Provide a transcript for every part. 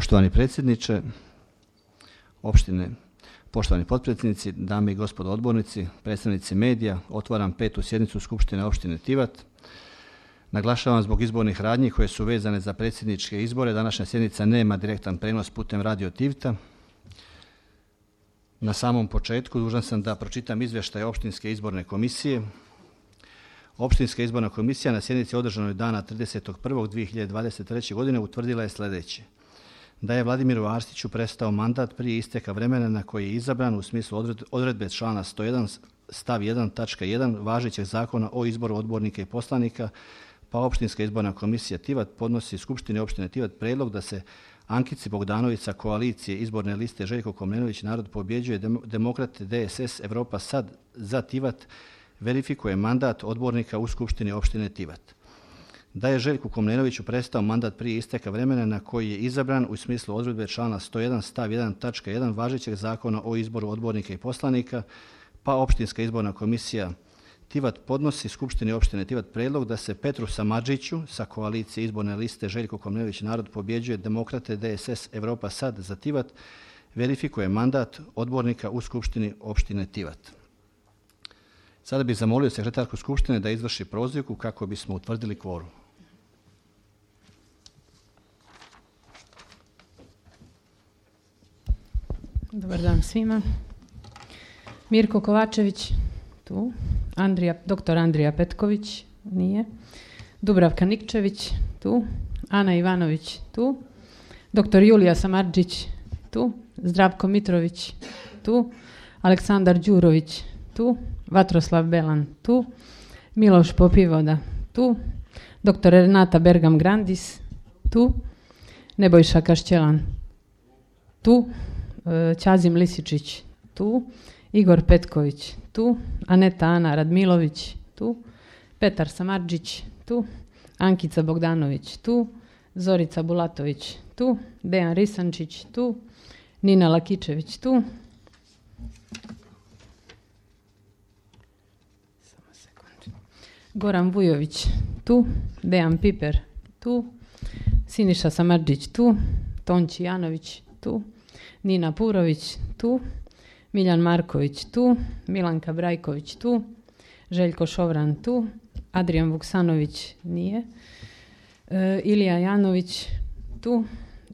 Poštovani predsjedniče opštine, poštovani potpredsjednici, dame i gospodo odbornici, predstavnici medija, otvaram 5. sjednicu Skupštine opštine Tivat. Naglašavam zbog izbornih radnji koje su vezane za predsjedničke izbore. Današnja sjednica nema direktan prenos putem Radio Tivita. Na samom početku dužan sam da pročitam izvještaj Opštinske izborne komisije. Opštinska izborna komisija na sjednici održanoj dana 30.1.2023. godine utvrdila je sljedeće. Da je Vladimiru Arsiću prestao mandat prije isteka vremena na koji je izabran u smislu odredbe člana 101 stav 1 tačka 1 važećeg zakona o izboru odbornika i poslanika, pa Opštinska izborna komisija Tivat podnosi Skupštini opštine Tivat predlog da se Ankici Bogdanović sa koalicije izborne liste Željko Komnenović Narod pobjeđuje Demokrate DSS Evropa Sad za Tivat verifikuje mandat odbornika u Skupštini opštine Tivat. Da je Željku Komnenoviću prestao mandat prije isteka vremena na koji je izabran u smislu odredbe člana 101 stav 1 tačka 1 važećeg zakona o izboru odbornika i poslanika, pa Opštinska izborna komisija Tivat podnosi Skupštini opštine Tivat predlog da se Petru Samardžiću sa koalicije izborne liste Željko Komnenović Narod pobjeđuje Demokrate DSS Evropa Sad za Tivat verifikuje mandat odbornika u Skupštini opštine Tivat. Sada bih zamolio sekretarku Skupštine da izvrši prozivku kako bismo utvrdili kvorum. Dobar dan svima. Mirko Kovačević, tu. Dr. Andrija Petković, nije. Dubravka Nikčević, tu. Ana Ivanović, tu. Dr. Julija Samardžić, tu. Zdravko Mitrović, tu. Aleksandar Đurović, tu. Vatroslav Belan, tu. Miloš Popivoda, tu. Dr. Renata Bergam Grandis, tu. Nebojša Kašćelan, tu. Ćazim Lisičić, tu. Igor Petković, tu. Aneta Ana Radmilović, tu. Petar Samardžić, tu. Ankica Bogdanović, tu. Zorica Bulatović, tu. Dejan Risančić, tu. Nina Lakičević, tu. Goran Vujović, tu. Dejan Piper, tu. Siniša Samardžić, tu. Tonči Janović, tu. Nina Purović, tu. Miljan Marković, tu. Milanka Brajković, tu. Željko Šovran, tu. Adrijan Vuksanović, nije. Ilija Janović, tu.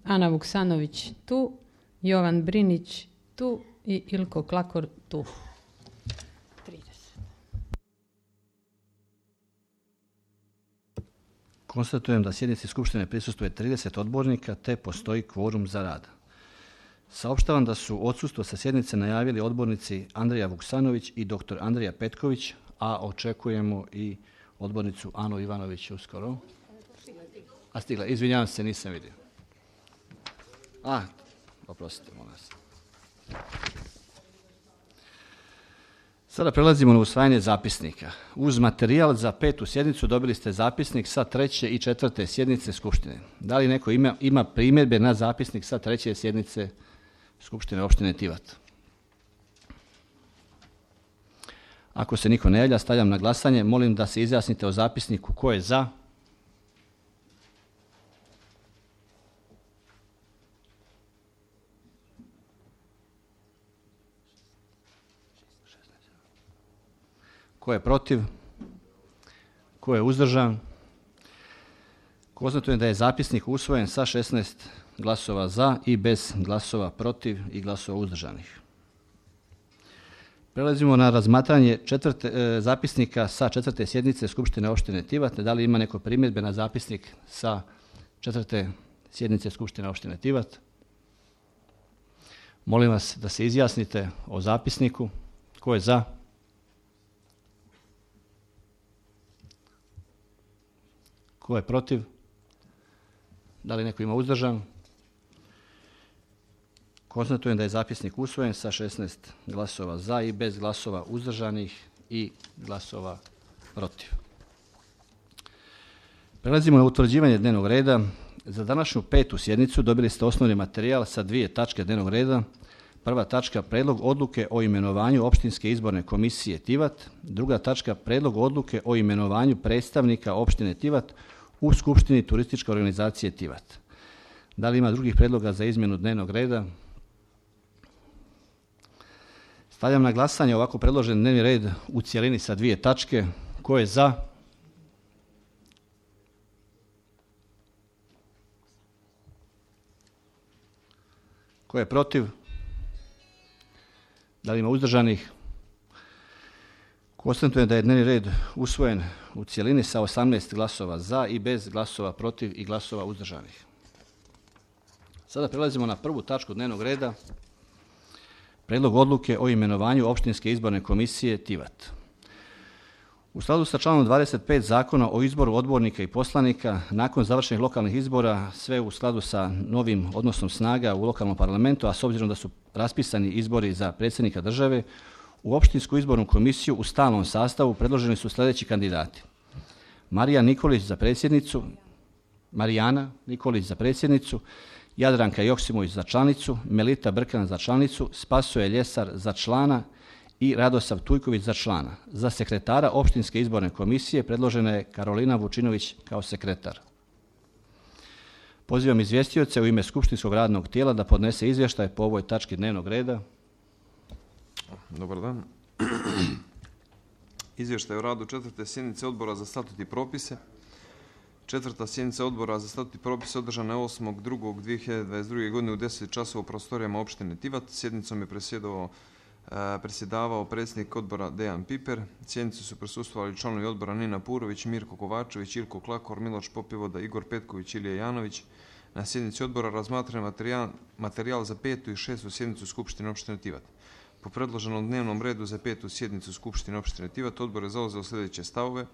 Ana Vuksanović, tu. Jovan Brinić, tu. I Ilko Klakor, tu. 30. Konstatujem da sjednici Skupštine prisustvuje 30 odbornika te postoji kvorum za rad. Saopštavam da su odsustvo sa sjednice najavili odbornici Andrija Vuksanović i dr. Andrija Petković, a očekujemo i odbornicu Anu Ivanović uskoro. A stigla, izvinjavam se, nisam vidio. Oprostite, molim vas. Sada prelazimo na usvajanje zapisnika. Uz materijal za 5. sjednicu dobili ste zapisnik sa 3. i 4. sjednice Skupštine. Da li neko ima primjedbe na zapisnik sa 3. sjednice Skupštine opštine Tivat? Ako se niko ne javlja, stavljam na glasanje. Molim da se izjasnite o zapisniku. Ko je za? Ko je protiv? Ko je uzdržan? Konstatujem da je zapisnik usvojen sa 16 glasova za i bez glasova protiv i glasova uzdržanih. Prelazimo na razmatranje zapisnika sa 4. sjednice Skupštine opštine Tivat. Da li ima neko primjedbe na zapisnik sa 4. sjednice Skupštine opštine Tivat? Molim vas da se izjasnite o zapisniku. Ko je za? Ko je protiv? Da li neko ima uzdržan? Konstatujem da je zapisnik usvojen sa 16 glasova za i bez glasova uzdržanih i glasova protiv. Prelazimo na utvrđivanje dnevnog reda. Za današnju 5. sjednicu dobili ste osnovni materijal sa 2 tačke dnevnog reda. Prva tačka, predlog odluke o imenovanju Opštinske izborne komisije Tivat. Druga tačka, predlog odluke o imenovanju predstavnika opštine Tivat u Skupštini turističke organizacije Tivat. Da li ima drugih predloga za izmjenu dnevnog reda? Stavljam na glasanje ovako predložen dnevni red u cjelini sa 2 tačke. Ko je za? Ko je protiv? Da li ima uzdržanih? Konstatujem da je dnevni red usvojen u cjelini sa 18 glasova za i bez glasova protiv i glasova uzdržanih. Sada prelazimo na prvu tačku dnevnog reda. Prijedlog odluke o imenovanju Opštinske izborne komisije Tivat. U skladu sa članom 25 Zakona o izboru odbornika i poslanika, nakon završenih lokalnih izbora, sve u skladu sa novim odnosom snaga u lokalnom parlamentu, a s obzirom da su raspisani izbori za predsjednika države, u Opštinsku izbornu komisiju u stalnom sastavu predloženi su sljedeći kandidati: Marijana Nikolić za predsjednicu, Jadranka Joksimović za članicu, Melita Brkan za članicu, Spasoje Ljesar za člana i Radosav Tujković za člana. Za sekretara Opštinske izborne komisije predložena je Karolina Vučinović kao sekretar. Pozivam izvjestioce u ime Skupštinskog radnog tijela da podnese izvještaj po ovoj tački dnevnog reda. Dobar dan. Izvještaj o radu 4. sjednice Odbora za statut i propise. 4. sjednica Odbora za statut i propise održana je 8.2.2022. godine u 10 časova u prostorijama opštine Tivat. Sjednicom je predsjedavao predsjednik odbora Dejan Piper. Sjednici su prisustvovali članovi odbora Nina Purović, Mirko Kovačević, Ilko Klakor, Miloš Popivoda, Igor Petković, Ilija Janović. Na sjednici odbora razmatran materijal za 5. i 6. sjednicu Skupštine opštine Tivat. Po predloženom dnevnom redu za 5. sjednicu Skupštine opštine Tivat odbor je zauzeo sljedeće stavove.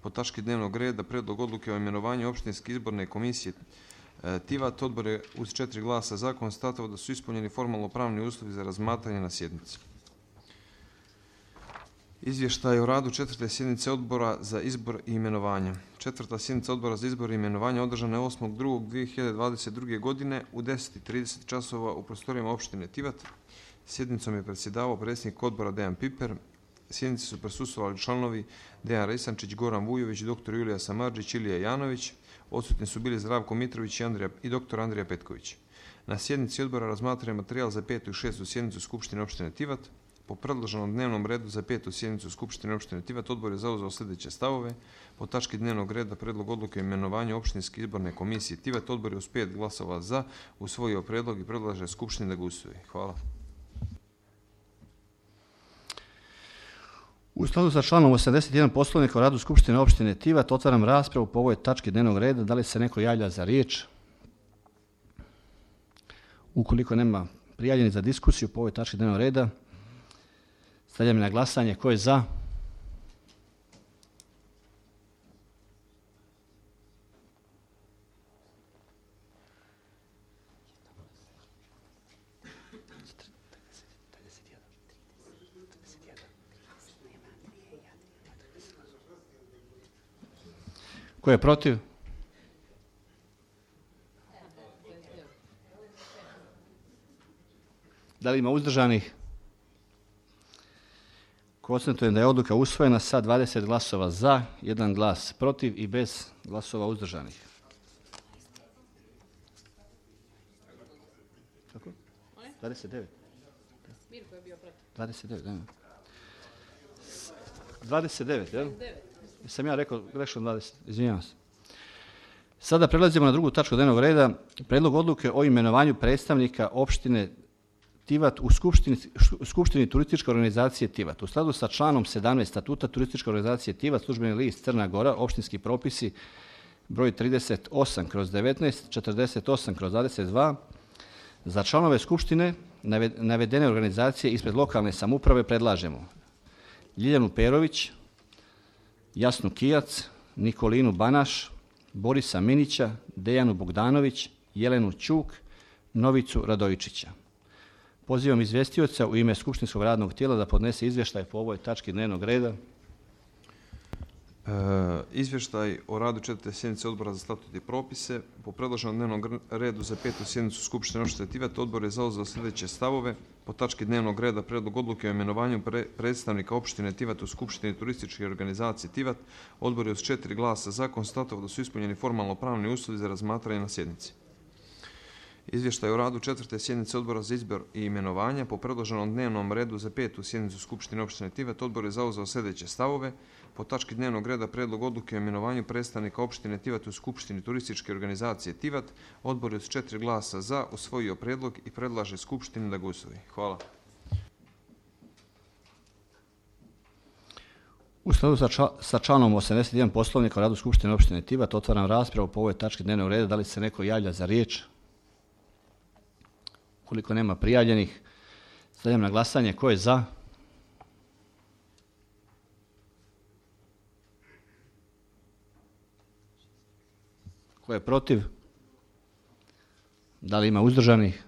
Po tački dnevnog reda predlog odluke o imenovanju Opštinske izborne komisije Tivat odbor je uz 4 glasa za konstatovao da su ispunjeni formalno pravni uslovi za razmatranje na sjednici. Izvještaj o radu 4. sjednice Odbora za izbor i imenovanje. 4. sjednica Odbora za izbor i imenovanje održana je 8.2.2022. godine u 10:30 časova u prostorijama opštine Tivat. Sjednicom je predsjedavao predsjednik odbora Dejan Piper. Sjednici su prisustvovali članovi Dejan Resančić, Goran Vujović, dr. Julija Samardžić, Ilija Janović. Odsutni su bili Zdravko Mitrović i dr. Andrija Petković. Na sjednici odbora razmatran je materijal za 5. i 6. sjednicu Skupštine opštine Tivat. Po predloženom dnevnom redu za 5. sjednicu Skupštine opštine Tivat odbor je zauzeo sljedeće stavove. Po tački dnevnog reda predlog odluke o imenovanju Opštinske izborne komisije Tivat odbor je uz 5 glasova za usvojio predlog i predlaže Skupštini da ga usvoji. Hvala. U skladu sa članom 81 Poslovnika o radu Skupštine opštine Tivat otvaram raspravu po ovoj tački dnevnog reda. Da li se neko javlja za riječ? Ukoliko nema prijavljenih za diskusiju po ovoj tački dnevnog reda, stavljam na glasanje. Ko je za? Ko je protiv? Da li ima uzdržanih? Konstatujem da je odluka usvojena sa 20 glasova za, 1 glas protiv i bez glasova uzdržanih. Kako? 29. Mirko je bio protiv. 29, da. 29, jel? Sam ja rekao grešno 20, izvinjavam se. Sada prelazimo na drugu tačku dnevnog reda. Predlog odluke o imenovanju predstavnika opštine Tivat u Skupštini turističke organizacije Tivat. U skladu sa članom 17 statuta turističke organizacije Tivat, službeni list Crna Gora, opštinski propisi broj 38/19, 48/22, za članove Skupštine navedene organizacije ispred lokalne samouprave predlažemo Ljiljanu Perović, Jasnu Kijac, Nikolinu Banaš, Borisa Minića, Dejanu Bogdanović, Jelenu Ćuk, Novicu Radojičića. Pozivam izvjestioca u ime Skupštinskog radnog tijela da podnese izvještaj po ovoj tački dnevnog reda. Izvještaj o radu 4. sjednice Odbora za statut i propise. Po predloženom dnevnom redu za 5. sjednicu Skupštine opštine Tivat odbor je zauzeo sljedeće stavove. Po tački dnevnog reda predlog odluke o imenovanju predstavnika opštine Tivat u Skupštini turističke organizacije Tivat odbor je uz 4 glasa za konstatovao da su ispunjeni formalno pravni uslovi za razmatranje na sjednici. Izvještaj o radu 4. sjednice odbora za izbor i imenovanja po predloženom dnevnom redu za 5. sjednicu Skupštine opštine Tivat. Odbor je zauzeo sljedeće stavove. Po tački dnevnog reda predlog odluke o imenovanju predstavnika opštine Tivat u Skupštini turističke organizacije Tivat. Odbor je s 4 glasa za usvojio predlog i predlaže Skupštini da ga usvoji. Hvala. U skladu sa članom 81 Poslovnika o radu Skupštine opštine Tivat otvaram raspravu po ovoj tački dnevnog reda. Da li se neko javlja za riječ? Ukoliko nema prijavljenih, stavljam na glasanje. Ko je za? Ko je protiv? Da li ima uzdržanih?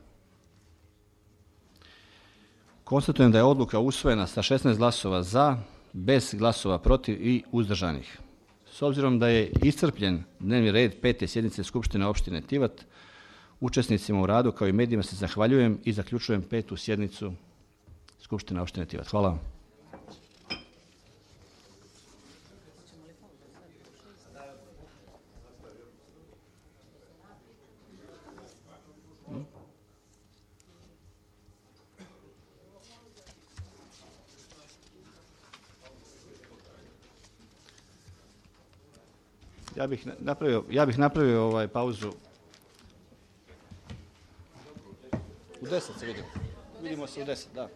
Konstatujem da je odluka usvojena sa 16 glasova za, bez glasova protiv i uzdržanih. S obzirom da je iscrpljen dnevni red 5. sjednice Skupštine opštine Tivat, učesnicima u radu kao i medijima se zahvaljujem i zaključujem 5. sjednicu Skupštine opštine Tivat. Hvala vam. Ja bih napravio pauzu. U 10 se vidimo. Vidimo se u 10, da.